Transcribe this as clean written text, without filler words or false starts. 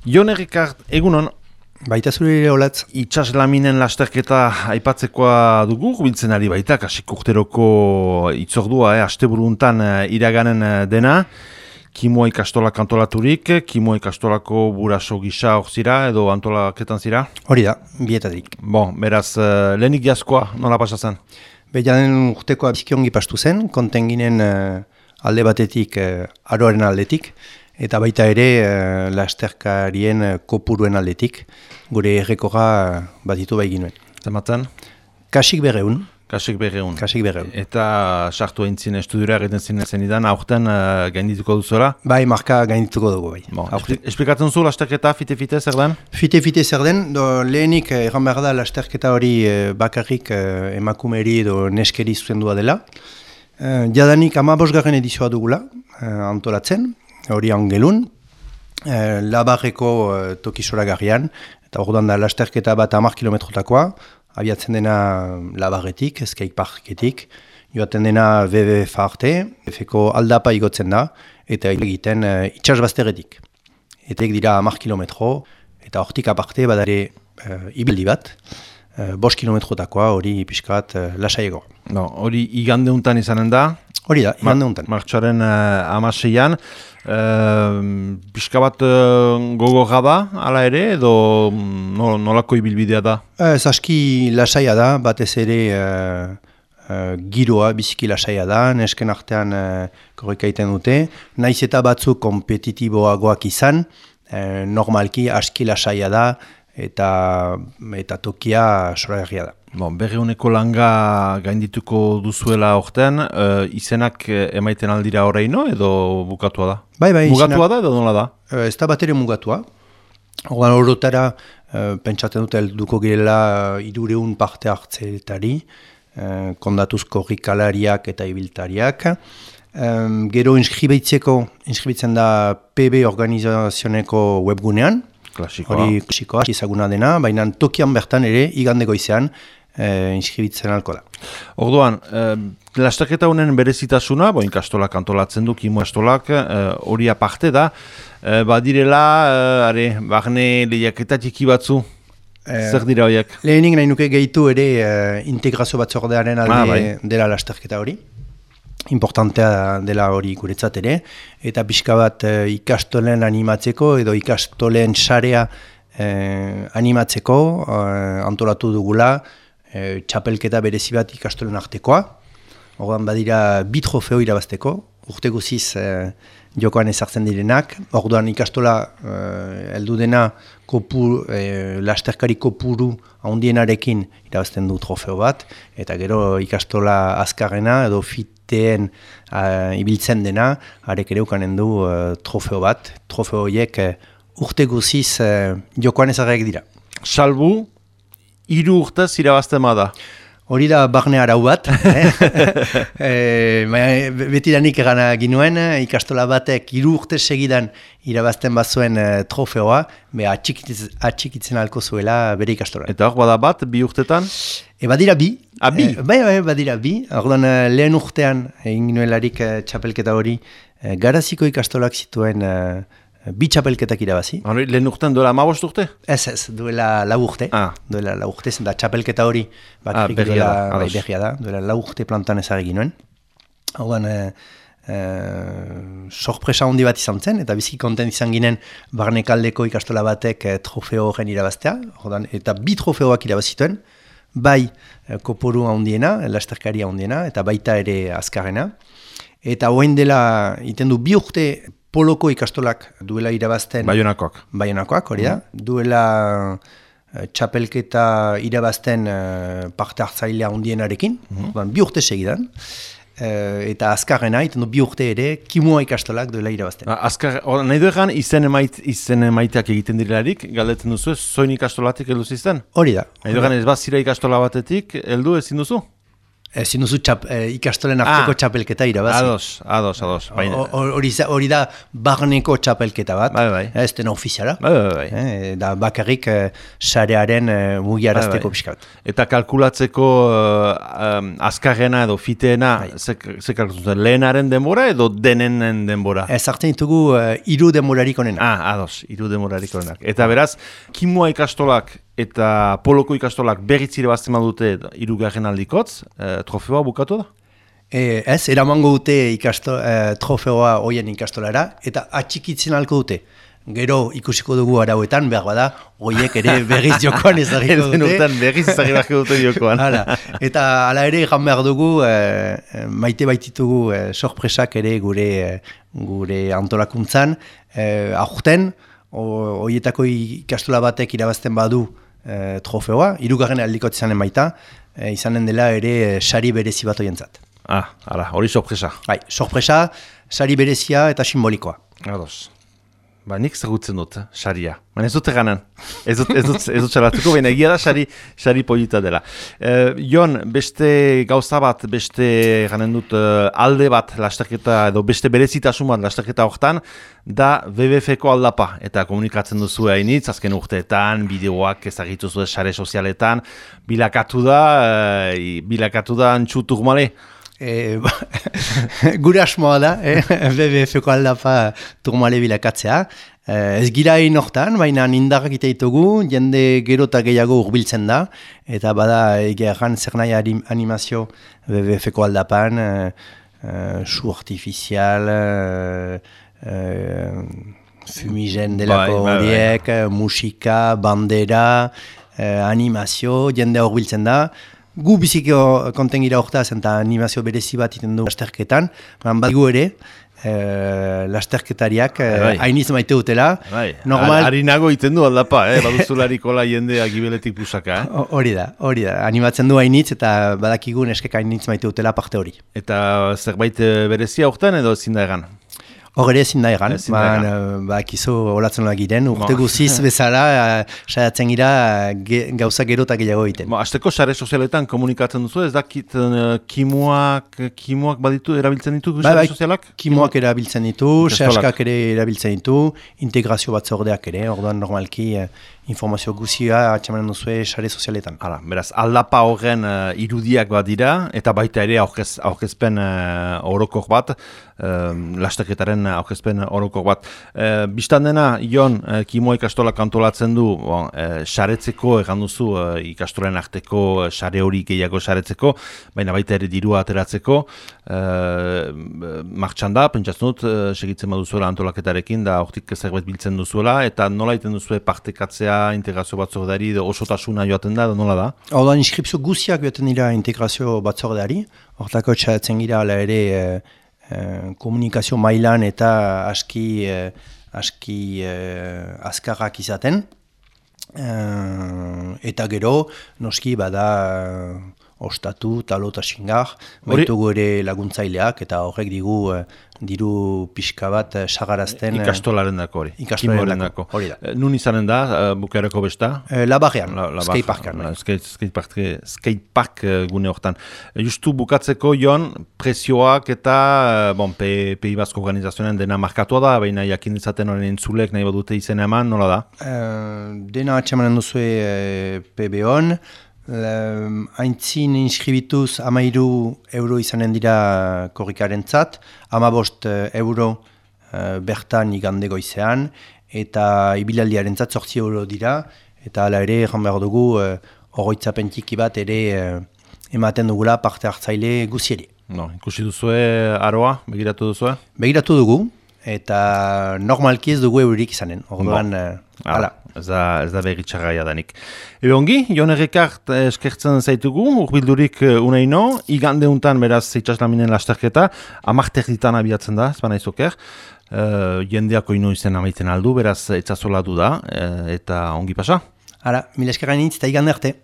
Jon Errikart, egunon. Baita zure olatz. Itsaslaminen lasterketa aipatzekoa dugu, biltzen ari baita, kasik urteroko itzordua, asteburuntan iraganen dena. Kimoa ikastolak antolaturik, Kimoa ikastolako buraso gisa hor zira, edo antolaketan zira? Hori da, bietatik. Bon, beraz, lehenik jazkoa, nola pasatzen? Behianen urtekoa bizkiongi pastu zen, kontenginen alde batetik, aroaren aldetik, eta baita ere lasterkarien kopuruen aldetik, gure errekorra batitu bai ginuen. Zematen? Kasik berreun. Kasik berreun. Eta sartu eintzin estudiora egiten zenidan, aurten gaindituko duzuela? Bai, marka gaindituko dugu bai. Bon, esplikatzen zu lasterketa, fite-fite zer den? Fite-fite zer den, lehenik erran behar da lasterketa hori bakarrik emakumeri edo neskeri zuzendua dela. Jadanik 15. edizioa dugula antolatzen, hori angelun, Labarreko tokisoragarrian, eta orduan da lasterketa bat 10 kilometrotakoa, abiatzen dena Labarretik, skate parketik, joaten dena WWF arte, efeko aldapa igotzen da, eta egiten itxasbazteretik. Eta dira 10 kilometro, eta hortik aparte badare ibildi bat, 5 kilometrotakoa hori pixkat lasaiego. No, hori igande untan izanen da? Hori da, igande untan. Martxoaren 16an, pixka bat gogorra da, ala ere, edo nolako ibilbidea da? Aski lasaia da, batez ere giroa, biziki lasaia da, nesken artean korrika egiten dute, naiz eta batzuk kompetitiboagoak izan, normalki aski lasaia da, eta tokia soragarria da. Bon, berreuneko langa gaindituko duzuela orten, izenak emaiten aldira horreino edo bukatua da? Bai, mugatua da edo nola da? Ez da bat ere mugatua. Horotara pentsatzen dute helduko girela 300 parte hartzeetari, kondatuz korrikalariak eta ibiltariak. Gero inskribitzen da PB organizazioneko webgunean. Klasikoa. Hori klasikoa, izaguna dena, baina tokian bertan ere igande goizean inskribitzen alko da. Orduan, lasterketa honen berezitasuna, ikastolak antolatzen du, Kimo ikastolak, hori aparte da, badirela, barne lehiaketa txiki batzu, zer dira horiek? Lehenik nahi nuke gehitu ere integrazio batzordearen alde dela lasterketa hori. Importantea dela hori guretzat ere, eta pixka bat ikastolen animatzeko edo ikastolen sarea animatzeko antolatu dugula txapelketa berezi bat ikastolen artekoa. Orduan badira 2 trofeo irabazteko, urte guziz jokoan ezartzen direnak. Orduan ikastola heldu dena lasterkari kopuru handienarekin irabazten du trofeo bat, eta gero ikastola azkarrena edo fiteen ibiltzen dena, harek ere ukanen du trofeo bat. Trofeo horiek urte guziz jokoan ezarriak dira. Salbu, 3 urtez irabazten bada. Hori da barne arau bat, betidanik egana ginuen, ikastola batek 3 urte segidan irabazten bazuen trofeoa, atxikitzen alko zuela bere ikastola. Eta hor bada bat, 2 urtetan? Badira bi. Bi? Bai, badira bi. Orduan lehen urtean egin ginuelarik txapelketa hori, Garaziko ikastolak zituen 2 txapelketak irabazi. Lehen urtean duela 15 urte? Ez, duela 4 urte. Duela 4 urte, zen da txapelketa hori berria da. Duela 4 urte plantan ezagin nuen. Horban, sorpresa handi bat izan zen, eta bizki kontent izan ginen barnekaldeko ikastola batek trofeo horren irabaztea. Eta 2 trofeoak irabazituen, bai kopuru handiena, lasterkari handiena, eta baita ere azkarrena. Eta hoen dela, iten du 2 urte, Poloko ikastolak duela irabazten... Baionakoak, hori da. Duela txapelketa irabazten parte hartzailea handienarekin, 2 urte segidan. Eta azkarrena, iten du 2 urte ere, Kimoa ikastolak duela irabazten. Nahi du egan, izen emaiteak egiten direlarik, galdetzen duzu, zoin ikastolatik heldu zizten? Hori da. Nahi du egan, ez bat zira ikastola batetik, heldu ezin duzu? Ezin duzu ikastolen arteko txapelketa irabazi. Ados. Hori da barneko txapelketa bat, ez dena ofiziala. Da bakarrik sarearen mugiarazteko pixkat. Eta kalkulatzeko azkarrena edo fiteena, ze kalkulatzen, lehenaren denbora edo denenen denbora? Ez hartzen ditugu 3 denborarik onenak. Ados, 3 denborarik onenak. Eta beraz, kimua ikastolak eta poloko ikastolak berritzire bazten badute 3. aldikotz, trofeoa bukatu da? Ez, eramango dute trofeoa hoien ikastolara, eta atxikitzen halko dute. Gero ikusiko dugu arauetan, behar bada, hoiek ere berriz jokoan ezagiko dute. Urtean berriz ezagiko dute jokoan. Eta hala ere, egan behar dugu, maite baititugu sorpresak ere gure antolakuntzan. Aurten, hoietako ikastola batek irabazten badu trofeoa, 3. aldikot izanen baita, izanen dela ere sari berezi bat hoientzat. Hori sorpresa. Sorpresa, sari berezia eta simbolikoa. Ados. Nik zagutzen dut, saria. Ez dut eganan. Ez dut salatuko, baina egia da sari polita dela. Jon, beste gauza bat, beste ganen dut alde bat lasterketa, edo beste berezitasun bat lasterketa horretan, da WWF-ko aldapa. Eta komunikatzen duzu hainitz, azken urteetan, bideoak ezagitu zuen sare sozialetan, bilakatu da antxutuk male. Gure asmoa da, WWF-ko aldapa turmale bilakatzea. Ez gira hortan, baina indarrak iteitugu, jende gero eta gehiago urbiltzen da, eta bada egeran zer nahi animazio WWF-ko aldapan, su artifizial, fumigen delako horiek, musika, bandera, animazio, jende urbiltzen da. Gu biziko konten gira hortaz eta animazio berezi bat iten du lasterketan, bat gu ere, lasterketariak hainiz maite dutela. Harinago iten du aldapa, baduzularikola jendea gibeletik pusaka. Hori da, animatzen du hainitz eta badakigu neskek hainitz maite dutela parte hori. Eta zerbait berezia hortan edo ezin da egan? Hor ere ezin da egan, bakizu olatzen lagiren, urte guziz bezala saiatzen gira gauza gero eta gehiago egiten. Azteko sare sozialetan komunikatzen duzu, ez dakit kimuak baditu, erabiltzen ditu sare sozialak? Kimuak erabiltzen ditu, sehaskak ere erabiltzen ditu, integrazio batzordeak ere, orduan normalki informazio guzia atxamanen duzue sare sozialetan. Beraz, aldapa horren irudiak bat dira, eta baita ere aurkezpen orokor bat, lasterketaren aurkezpen orokor bat. Bistan dena, Jon, kimua ikastolak antolatzen du, saretzeko, egan duzu, ikastolen arteko sare hori gehiago saretzeko, baina baita ere dirua ateratzeko, martxan da, pentsatzen dut, segitzen baduzuela antolaketarekin, da hortik zerbait biltzen duzuela, eta nola iten duzue partekatzea integrazio batzordeari, osotasuna joaten da, nola da? Horda, inskripzio guziak joaten dira integrazio batzordeari, hortako txatzen gira ala ere komunikazio mailan eta aski azkarrak izaten. Eta gero, noski bada ostatu, talo eta xingar, baitugu ere laguntzaileak eta horrek diru pixka bat sagarazten. Ikastolaren dako hori. Ikastolaren dako, hori da. Nun izanen da, bukaerako besta? Labarrean, skateparkan. Skatepark gune hortan. Justu bukatzeko, Jon, presioak eta Pei Basko organizazionen dena markatua da, baina jakin izaten horren entzulek nahi badute izena eman, nola da? Dena atxamanen duzue PB-on, haintzin inskribituz 13 euro izanen dira korrikaren zat, 15 euro bertan igande goizean, eta ibilaldiaren zat 8 euro dira, eta hala ere, egan behar dugu, oroitzapen txiki bat ere ematen dugula parte hartzaile guzieri. Ikusi duzue aroa, begiratu duzue? Begiratu dugu, eta normalki ez dugu eurik izanen, orduan, hala. Ez da begitxarraia danik. Ongi, Jon Errekart eskertzen zaitugu, urbildurik uneino, igande untan beraz itxaslaminen lasterketa, 10 ditan abiatzen da, ez bana izoker, jendeako ino izen amaiten aldu, beraz etzazola du da, eta ongi pasa. Hala, mila eskerrainitz eta igande arte.